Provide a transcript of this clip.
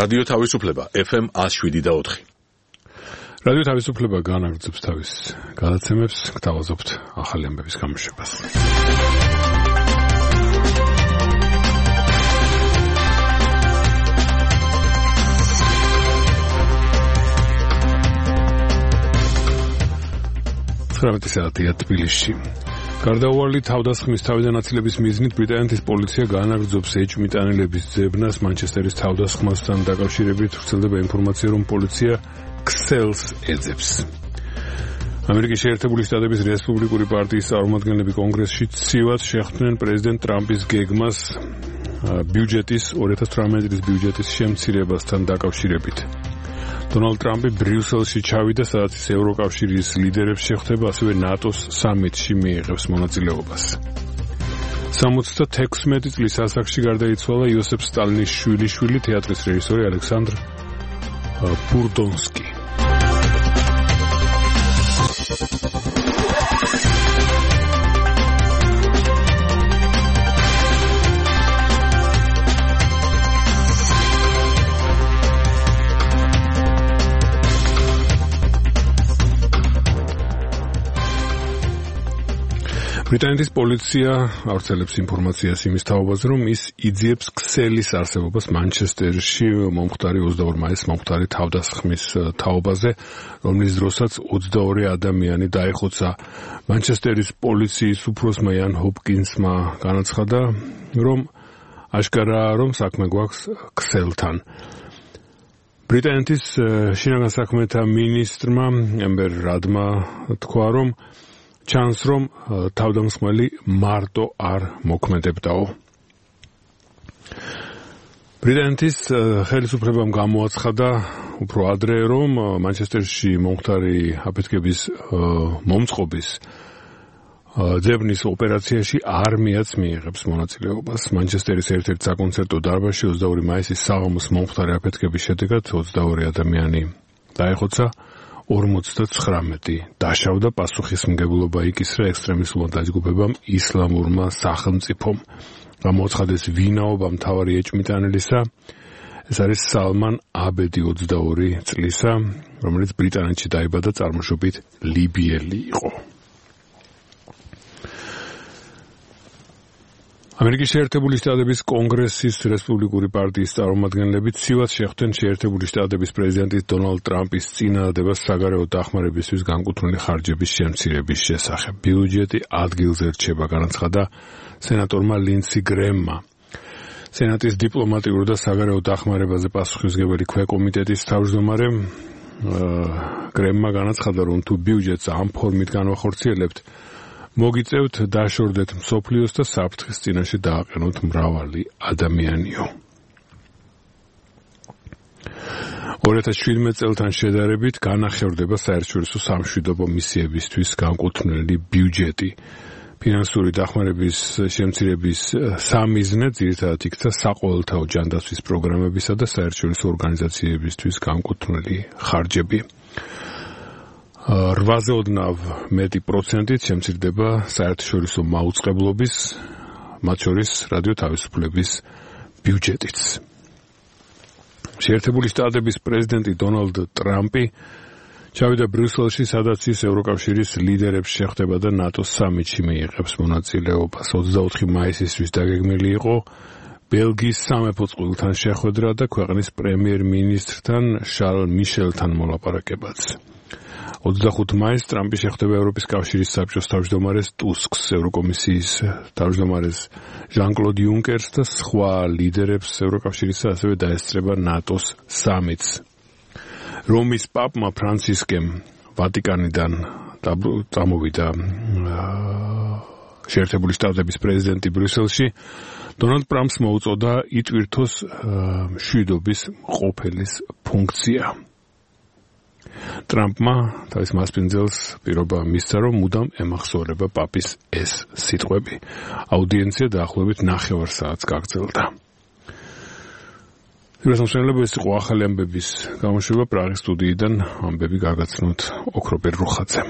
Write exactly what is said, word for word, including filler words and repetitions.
რადიო თავისუფლება ეფ ემ one oh seven და four. რადიო თავისუფლება განაგრძობს თავის გადაცემებს, გთავაზობთ ახალი ამბების გამოშვებას. ცხრამეტი საათია თბილისში. გარდაუვალი თავდასხმის თავდანაწილების მიზნით ბრიტანეთის პოლიცია განაგრძობს ეჭვმიტანილების ძებნას მანჩესტერის თავდასხმასთან დაკავშირებით. ვრცელდება ინფორმაცია, რომ პოლიცია ქსელს ეძებს. ამერიკის შეერთებული შტატების რესპუბლიკური პარტიის წარმომადგენლები კონგრესში ცივად შეხვდნენ პრეზიდენტ ტრამპის გეგმას ბიუჯეტის two thousand eighteen წლის ბიუჯეტის შემცირებასთან დაკავშირებით. დონალდ ტრამპი ბრიუსელში ჩავიდა, სადაც ის ევროკავშირის ლიდერებს შეხვდება, ასევე ნატოს სამიტში მიიღებს მონაწილეობას. ოცდაექვსი წლის ასაკში გარდაიცვალა იოსებ სტალინის შვილიშვილი, თეატრის რეჟისორი ალექსანდრ ბურდონსკი. ბრიტანეთის პოლიცია ავრცელებს ინფორმაციას იმის თაობაზე, რომ ის იძიებს ქსელის არსებობას მანჩესტერში მომხდარი ოცდაორი მაისის მომხდარი თავდასხმის თაობაზე, რომლის დროსაც ოცდაორი ადამიანი დაეხოცა. მანჩესტერის პოლიციის უფროსმა იან ჰოპკინსმა განაცხადა, რომ აშკარაა, რომ საქმე გვაქვს ქსელთან. ბრიტანეთის შინაგან საქმეთა მინისტრმა ემბერ რადმა თქვა, რომ ჩანს, რომ თავდამსხმელი მარტო არ მოქმედებდაო. ბრიტანეთის ხელისუფლებამ გამოაცხადა უფრო ადრე, რომ მანჩესტერში მომხდარი აფეთქების მომწყობის ძებნის ოპერაციაში არმიაც მიიღებს მონაწილეობას. მანჩესტერის ერთ-ერთ საკონცერტო დარბაზში ოცდაორი მაისის საღამოს მომხდარი აფეთქების შედეგად ოცდაორი ადამიანი დაეხოცა. ორმოცდათხრამეტი დაშავდა, პასუხისმგებლობა იკისრა ექსტრემისტულმა დაჯგუფებამ ისლამურმა სახელმწიფომ. გამოაცხადეს ვინაობა მთავარი ეჭვმიტანილისა. ეს არის სალმან აბედი, ოცდაორი წლისა, რომელიც ბრიტანეთში დაიბადა, წარმოშობით ლიბიელი იყო. ამერიკის შეერთებული შტატების კონგრესის რესპუბლიკური პარტიის წარმომადგენლები ცივად შეხვდნენ შეერთებული შტატების პრეზიდენტის დონალდ ტრამპის წინადადებას საგარეო დახმარებისთვის განკუთვნილი ხარჯების შემცირების შესახებ. ბიუჯეტი ადგილზე რჩება, განაცხადა სენატორმა ლინდსი გრემმა. სენატის დიპლომატიურ და საგარეო დახმარებაზე პასუხისმგებელი ქვეკომიტეტის თავმჯდომარე გრემმა განაცხადა, რომ თუ ბიუჯეტს ამ ფორმით განვახორციელებთ, მოგიწევთ დაშორდეთ მსოფლიოს და საფრთხის წინაშე დააყენოთ მრავალი ადამიანიო. ორი ათას შვიდმეტ წელთან შედარებით განახევრდება საერთაშორისო სამშვიდობო მისიებისთვის განკუთვნილი ბიუჯეტი. ფინანსური დახმარების შემცირების სამიზნე ძირითადად იქცა საყოველთაო ჯანდაცვის პროგრამებისა და საერთაშორისო ორგანიზაციებისთვის განკუთვნილი ხარჯები. რვაზე ოდნავ მეტი პროცენტით შემცირდება საერთაშორისო მაუწყებლობის, მათ შორის რადიო თავისუფლების ბიუჯეტიც. შეერთებული შტატების პრეზიდენტი დონალდ ტრამპი ჩავიდა ბრიუსელში, სადაც ის ევროკავშირის ლიდერებს შეხვდება და ნატოს სამიტში მიიღებს მონაწილეობას. ოცდაოთხი მაისისთვის დაგეგმილი იყო ბელგიის სამეფო წყვილთან შეხვედრა და ქვეყნის პრემიერ-მინისტრთან შარლ მიშელთან მოლაპარაკებაც. ოცდახუთი მაისს ტრამპი შეხვდება ევროპის კავშირის საბჭოს თავმჯდომარეს ტუსკს, ევროკომისიის თავმჯდომარეს ჟან-კლოდ იუნკერს და სხვა ლიდერებს ევროკავშირისა, ასევე დაესწრება ნატოს სამიტს. რომის პაპმა ფრანცისკემ ვატიკანიდან წამოვიდა შეერთებული შტატების პრეზიდენტი ბრიუსელში. დონალდ ტრამპს მოუწოდა იტვირთოს მშვიდობის მყოფელის ფუნქცია. ტრამპმა თავის მასპინძელს პირობა მისცა, რომ მუდამ ემახსოვრება პაპის ეს სიტყვები. აუდიენცია დაახლოებით ნახევარ საათს გაგრძელდა. პირველსამშენებლები ეს იყო ახალი ამბების გამოშვება პრაღის სტუდიიდან, ამბები გაგაცნოთ ოქროპერ რუხაძემ.